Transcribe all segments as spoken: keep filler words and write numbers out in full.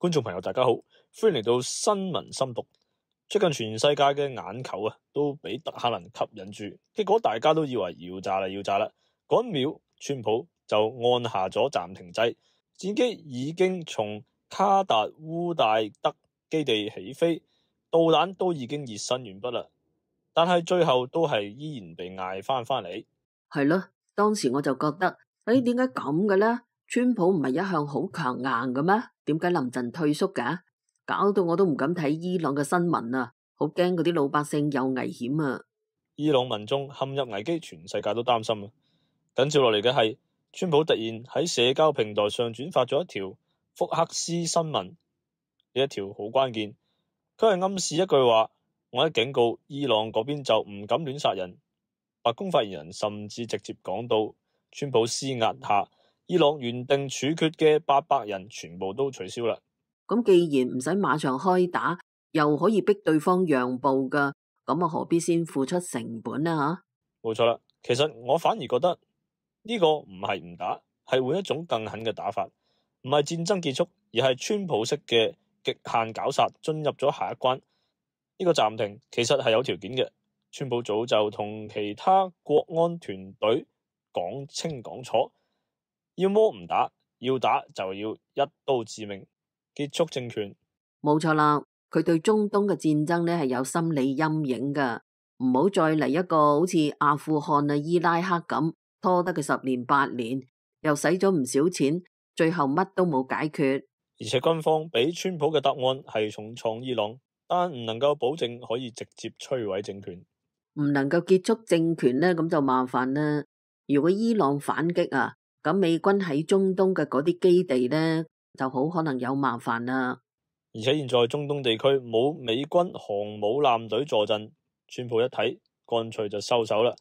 觀眾朋友大家好，歡迎嚟到新聞深讀。最近全世界嘅眼球啊，都俾德黑蘭吸引住，結果大家都以為要炸啦，要炸啦。嗰一秒，川普就按下咗暫停掣，戰機已經從卡達烏戴德基地起飛，導彈都已經熱身完畢啦。但係最後都係依然被嗌翻翻嚟。係咯，當時我就覺得，誒，點解咁嘅呢？川普唔係一向好強硬嘅咩？點解臨陣退縮㗎？搞到我都唔敢睇伊朗嘅新聞啊，好驚嗰啲老百姓有危險啊！伊朗民眾陷入危機，全世界都擔心啊！緊接落嚟嘅係，川普突然喺社交平台上轉發咗一條福克斯新聞，呢一條好關鍵，佢係暗示一句話：我一警告伊朗嗰邊就唔敢亂殺人。白宮發言人甚至直接講到，川普施壓下，伊朗原定處決嘅八百人全部都取消啦。咁既然唔使馬上開打，又可以逼對方讓步噶，咁啊何必先付出成本啊？吓，冇錯啦。其實我反而覺得呢個唔係唔打，係換一種更狠嘅打法，唔係戰爭結束，而係川普式嘅極限絞殺進入咗下一關。呢個暫停其實係有條件嘅，川普早就同其他國安團隊講清講楚，要麼唔打，要打就要一刀致命，結束政權。冇錯啦，佢對中東嘅戰爭呢係有心理陰影噶，唔好再嚟一個好似阿富汗啊、伊拉克咁拖得佢十年八年，又使咗唔少錢，最後乜都冇解決。而且軍方俾川普嘅答案係重創伊朗，但唔能夠保證可以直接摧毀政權，唔能夠結束政權呢，咁就麻煩啦。如果伊朗反擊啊，咁美軍喺中東嘅嗰啲基地呢，就好可能有麻煩啦。而且現在中東地區冇美軍航母艦隊坐鎮，川普一睇，乾脆就收手啦，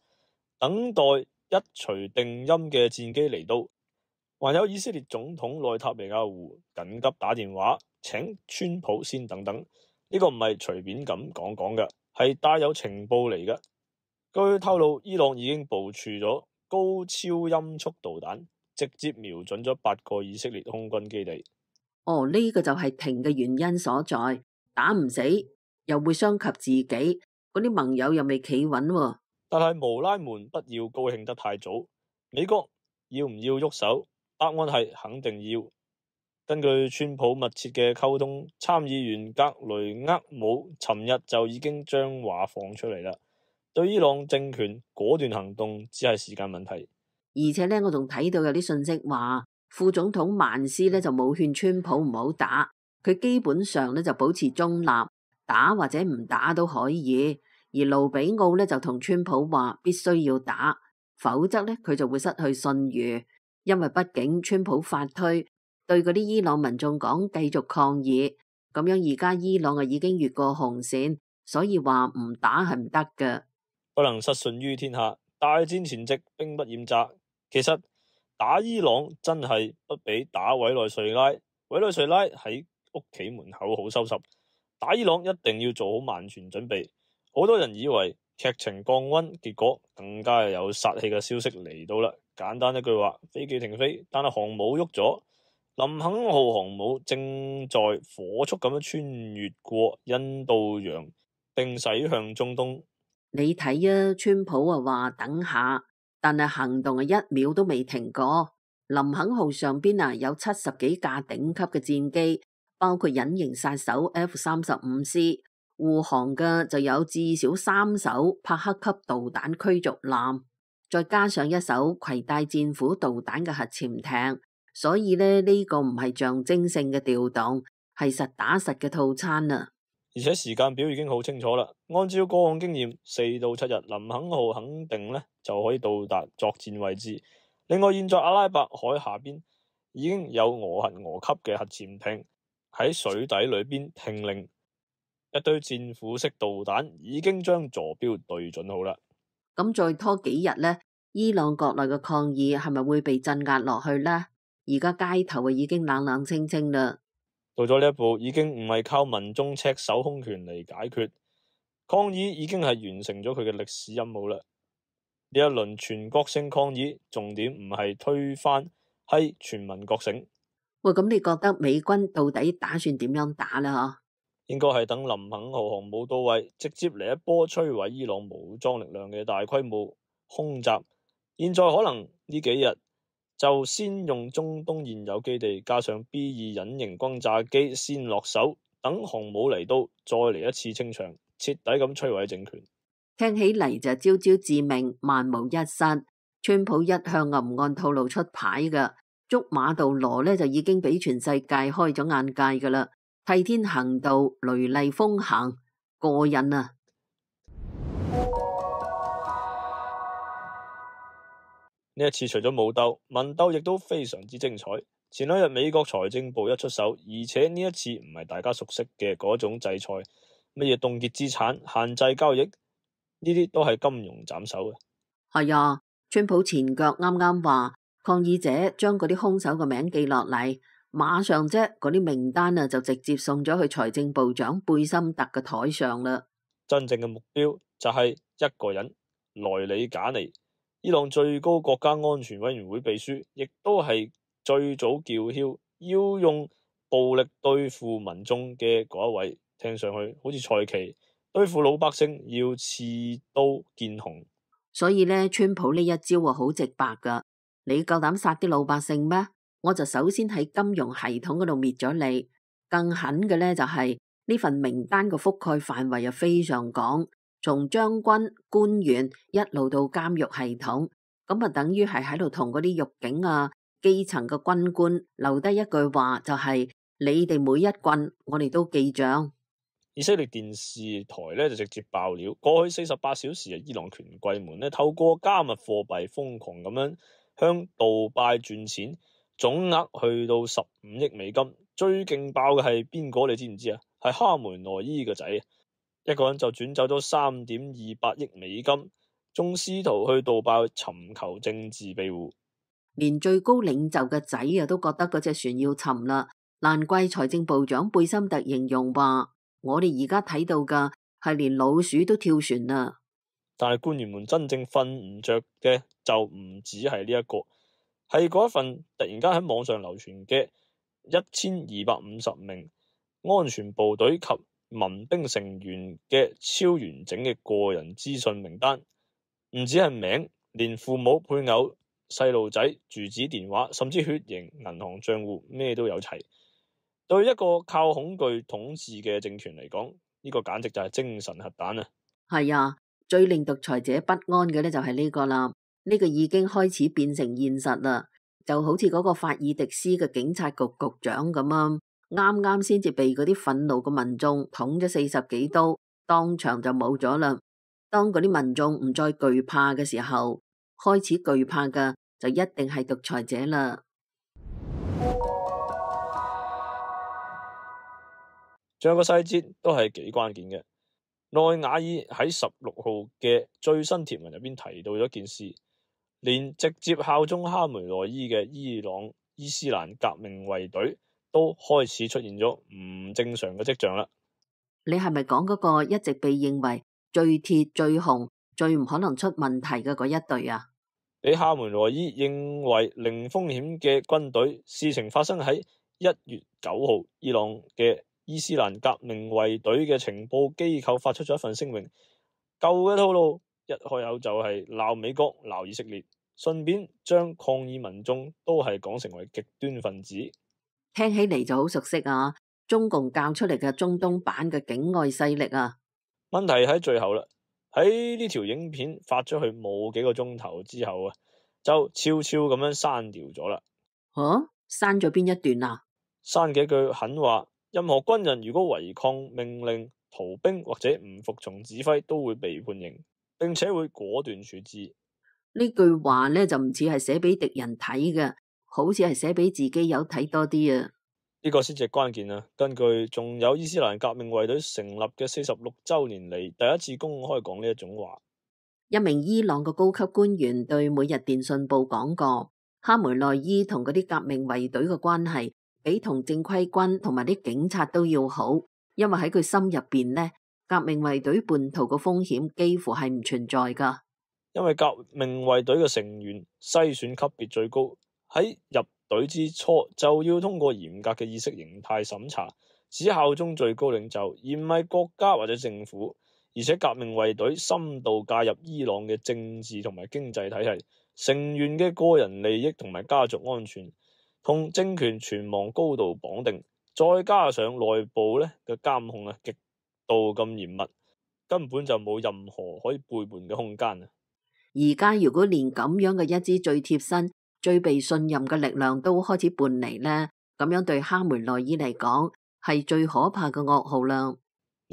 等待一錘定音嘅戰機嚟到。還有以色列總統內塔尼亞胡緊急打電話請川普先等等，呢個唔係隨便咁講講嘅，係帶有情報嚟嘅。據透露，伊朗已經部署咗高超音速導彈，直接瞄準咗八個以色列空軍基地。哦，呢個就係停嘅原因所在，打唔死又會傷及自己，嗰啲盟友又未企穩喎。但係無拉們不要高興得太早，美國要唔要喐手？答案係肯定要。根據川普密切嘅溝通，參議員格雷厄姆尋日就已經將話放出嚟啦。對伊朗政權果斷行動只係時間問題。而且呢，我仲睇到有啲信息話，副總統曼斯呢就冇勸川普唔好打，佢基本上呢就保持中立，打或者唔打都可以。而盧比奧呢就同川普話必須要打，否則呢佢就會失去信譽。因為畢竟川普發推對嗰啲伊朗民眾講繼續抗議，咁樣而家伊朗啊已經越過紅線，所以話唔打係唔得嘅。不能失信於天下，大戰前夕兵不厭詐。其實打伊朗真係不比打委內瑞拉，委內瑞拉喺屋企門口好收拾，打伊朗一定要做好萬全準備。好多人以為劇情降溫，結果更加有殺氣嘅消息嚟到啦。簡單一句話，飛機停飛，但係航母喐咗。林肯號航母正在火速咁樣穿越過印度洋，並駛向中東。你睇啊，川普啊話等下，但係行動啊一秒都未停過。林肯號上邊啊有七十幾架頂級嘅戰機，包括隱形殺手 F 三十五 C， 護航嘅就有至少三艘帕克級導彈驅逐艦。再加上一艘攜帶戰斧導彈嘅核潛艇，所以呢，呢個唔係象徵性嘅調動，係實打實嘅套餐啊！而且時間表已經好清楚啦，按照過往經驗，四到七日林肯號肯定呢就可以到達作戰位置。另外，現在阿拉伯海下邊已經有俄核俄級嘅核潛艇喺水底裏邊聽令，一堆戰斧式導彈已經將坐標對準好啦。咁再拖幾日呢，伊朗國內嘅抗議係咪會被鎮壓落去呢？而家街頭啊已經冷冷清清啦。到咗呢一步，已經唔係靠民眾赤手空拳嚟解決，抗議已經係完成咗佢嘅歷史任務啦。呢一輪全國性抗議重點唔係推翻，係全民覺醒。喂，咁你覺得美軍到底打算點樣打呢？應該係等林肯號航母到位，直接嚟一波摧毀伊朗武裝力量嘅大規模空襲。現在可能呢幾日就先用中東現有基地加上 B 二隱形轟炸機先落手，等航母嚟到再嚟一次清場，徹底咁摧毀政權。聽起嚟就朝朝致命，萬無一失。川普一向啊唔按套路出牌㗎，捉馬杜羅呢就已經俾全世界開咗眼界㗎啦。替天行道，雷厲風行，過癮啊！呢一次除咗武鬥，文鬥亦都非常之精彩。前兩日美國財政部一出手，而且呢一次唔係大家熟悉嘅嗰種制裁，乜嘢凍結資產、限制交易，呢啲都係金融斬首嘅。係啊，川普前腳啱啱話抗議者將嗰啲兇手嘅名記落嚟，馬上啫嗰啲名單啊就直接送咗去財政部長貝森特嘅台上啦。真正嘅目標就係一個人，萊里賈尼，伊朗最高國家安全委員會秘書，亦都係最早叫囂要用暴力對付民眾嘅嗰一位。聽上去好似蔡奇對付老百姓要刺刀見紅。所以呢，川普呢一招啊好直白噶，你夠膽殺啲老百姓咩？我就首先喺金融系統嗰度滅咗你。更狠嘅呢，就係呢份名單嘅覆蓋範圍又非常廣，從將軍、官員一路到監獄系統，咁啊等於係喺度同嗰啲獄警啊、基層嘅軍官留低一句話，就係你哋每一棍我哋都記賬。以色列電視台咧就直接爆料，過去四十八小時啊，伊朗權貴們咧透過加密貨幣瘋狂咁樣向杜拜轉錢，總額去到十五億美金。最勁爆嘅係邊個？你知唔知啊？係哈梅內伊個仔，一個人就轉走咗三點二八億美金，仲試圖去杜拜尋求政治庇護。連最高領袖嘅仔啊都覺得嗰隻船要沉啦，難怪財政部長貝森特形容話。我哋而家睇到嘅係連老鼠都跳船啦，但係官員們真正瞓唔着嘅就唔止係呢一個，係嗰一份突然間喺網上流傳嘅一千二百五十名安全部隊及民兵成員嘅超完整嘅個人資訊名單，唔止係名，連父母、配偶、細路仔、住址、電話，甚至血型、銀行賬戶，咩都有齊。對一個靠恐懼統治嘅政權嚟講，呢個簡直就係精神核彈啊！係啊，最令獨裁者不安嘅咧就係呢個啦，呢個已經開始變成現實啦，就好似嗰個法爾迪斯嘅警察局局長咁啊，啱啱先至被嗰啲憤怒嘅民眾捅咗四十幾刀，當場就冇咗啦。當嗰啲民眾唔再懼怕嘅時候，開始懼怕嘅就一定係獨裁者啦。仲有個細節都係幾關鍵嘅，內瓦爾喺十六號嘅最新貼文入邊提到咗一件事，連直接效忠哈梅內伊嘅伊朗伊斯蘭革命衛隊都開始出現咗唔正常嘅跡象啦。你係咪講嗰個一直被認為最鐵、最紅、最唔可能出問題嘅嗰一隊啊？俾哈梅內伊認為零風險嘅軍隊，事情發生喺一月九號，伊朗嘅伊斯蘭革命衛隊嘅情報機構發出咗一份聲明，舊嘅套路一開口就係鬧美國、鬧以色列，順便將抗議民眾都係講成為極端分子。聽起嚟就好熟悉啊！中共教出嚟嘅中東版嘅境外勢力啊！問題喺最後啦，喺呢條影片發出去冇幾個鐘頭之後啊，就悄悄咁樣刪掉咗啦。吓、啊，刪咗邊一段啊？刪幾句狠話。任何軍人如果違抗命令、逃兵或者唔服從指揮，都會被判刑，並且會果斷處置。呢句話呢，就唔似係寫俾敵人睇嘅，好似係寫俾自己友睇多啲啊！呢個先至係關鍵啊！根據仲有伊斯蘭革命衛隊成立嘅四十六週年嚟第一次公開講呢一種話。一名伊朗嘅高級官員對每日電訊報講過，哈梅內伊同嗰啲革命衛隊嘅關係比同正規軍同埋啲警察都要好，因為喺佢心入邊呢，革命衛隊叛徒嘅風險幾乎係唔存在噶。因為革命衛隊嘅成員篩選級別最高，喺入隊之初就要通過嚴格嘅意識形態審查，只效忠最高領袖，而唔係國家或者政府。而且革命衛隊深度介入伊朗嘅政治同埋經濟體系，成員嘅個人利益同埋家族安全同政權存亡高度綁定，再加上內部咧嘅監控啊極度咁嚴密，根本就冇任何可以背叛嘅空間啊！而家如果連咁樣嘅一支最貼身、最被信任嘅力量都開始叛離呢，咁樣對哈梅內伊嚟講係最可怕嘅噩耗啦。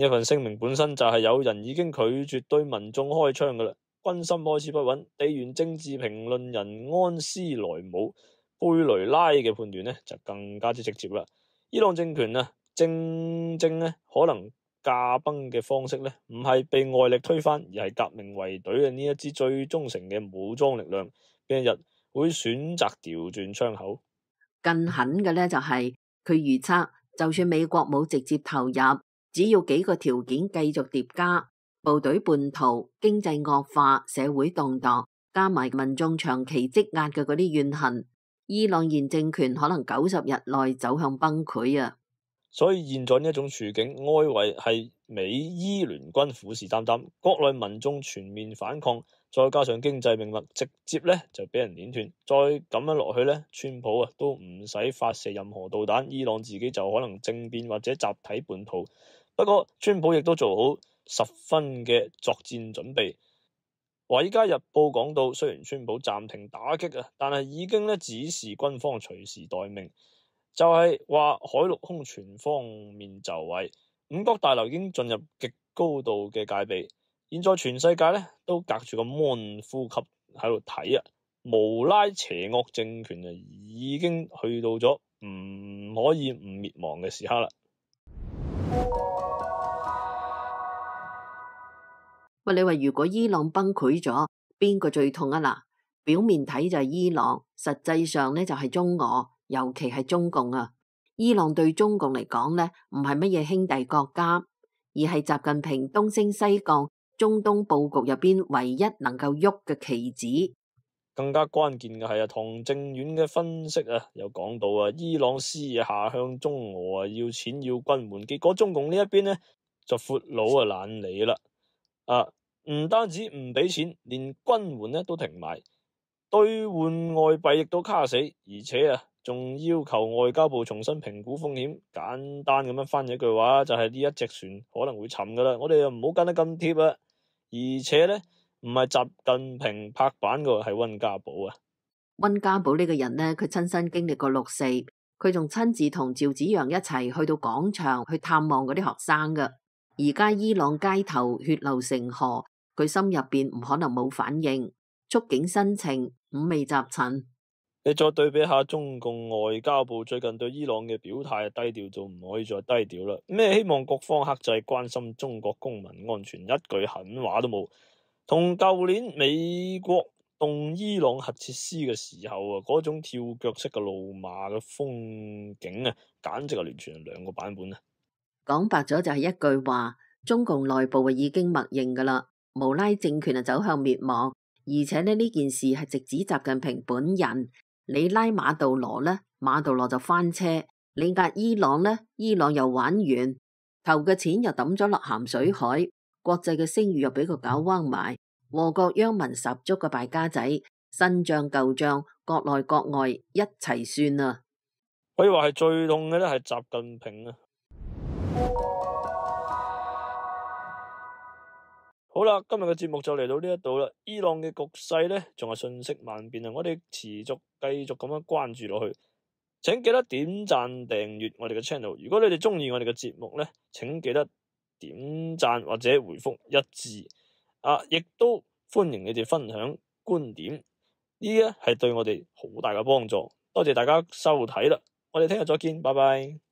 呢份聲明本身就係有人已經拒絕對民眾開槍噶啦，軍心開始不穩。地緣政治評論人安斯萊姆貝雷拉嘅判斷呢就更加之直接啦。伊朗政權啊，正正呢可能駕崩嘅方式呢，唔係被外力推翻，而係革命衛隊嘅呢一支最忠誠嘅武裝力量，邊一日會選擇調轉槍口。更狠嘅呢，就係佢預測，就算美國冇直接投入，只要幾個條件繼續疊加，部隊叛逃、經濟惡化、社會動盪，加埋民眾長期積壓嘅嗰啲怨恨，伊朗現政權可能九十日內走向崩潰啊！所以現在呢一種處境，外圍係美伊聯軍虎視眈眈，國內民眾全面反抗，再加上經濟命脈直接咧就俾人碾斷，再咁樣落去咧，川普啊都唔使發射任何導彈，伊朗自己就可能政變或者集體叛逃。不過川普亦都做好十分嘅作戰準備。華爾街日報講到，雖然川普暫停打擊啊，但係已經咧指示軍方隨時待命。就係話海陸空全方面就位，五角大樓已經進入極高度嘅戒備。現在全世界咧都隔住個 mon 呼吸喺度睇啊，無拉邪惡政權啊已經去到咗唔可以唔滅亡嘅時刻啦。喂，你話如果伊朗崩潰咗，邊個最痛啊？嗱，表面睇就係伊朗，實際上咧就係中俄。尤其係中共啊，伊朗對中共嚟講呢，唔係乜嘢兄弟國家，而係習近平東升西降、中東佈局入邊唯一能夠喐嘅棋子。更加關鍵嘅係啊，唐正遠嘅分析啊，有講到啊，伊朗施下向中俄啊，要錢要軍援，結果中共呢一邊呢，就闊佬啊懶理啦，啊，唔單止唔俾錢，連軍援呢都停埋，兌換外幣亦都卡死，而且啊。仲要求外交部重新評估風險，簡單咁樣翻譯一句話，就係呢一隻船可能會沉噶啦，我哋又唔好跟得咁貼啊！而且呢，唔係習近平拍板嘅，係溫家寶啊！溫家寶呢個人呢，佢親身經歷過六四，佢仲親自同趙紫陽一齊去到廣場去探望嗰啲學生噶。而家伊朗街頭血流成河，佢心入邊唔可能冇反應，觸景生情，五味雜陳。你再對比下中共外交部最近對伊朗嘅表態，低調就唔可以再低調啦。咩希望各方克制，關心中國公民安全，一句狠話都冇。同舊年美國動伊朗核設施嘅時候啊，嗰種跳腳式嘅怒罵嘅風景啊，簡直係完全係兩個版本啊！講白咗就係一句話，中共內部啊已經默認噶啦，無拉政權啊走向滅亡，而且呢呢件事係直指習近平本人。你拉馬杜羅呢，馬杜羅就翻車；你壓伊朗呢，伊朗又玩完，投嘅錢又抌咗落鹹水海，國際嘅聲譽又俾佢搞彎埋，禍國殃民十足嘅敗家仔，新賬舊賬，國內國外一齊算啊！可以話係最痛嘅咧，係習近平啊！好啦，今日嘅節目就嚟到呢一度啦。伊朗嘅局勢呢，仲係瞬息萬變啊！我哋持續繼續咁樣關注落去，請記得點讚訂閱我哋嘅 channel。如果你哋中意我哋嘅節目呢，請記得點讚或者回覆一致啊！亦都歡迎你哋分享觀點，呢啲係對我哋好大嘅幫助。多謝大家收睇啦，我哋聽日再見，拜拜。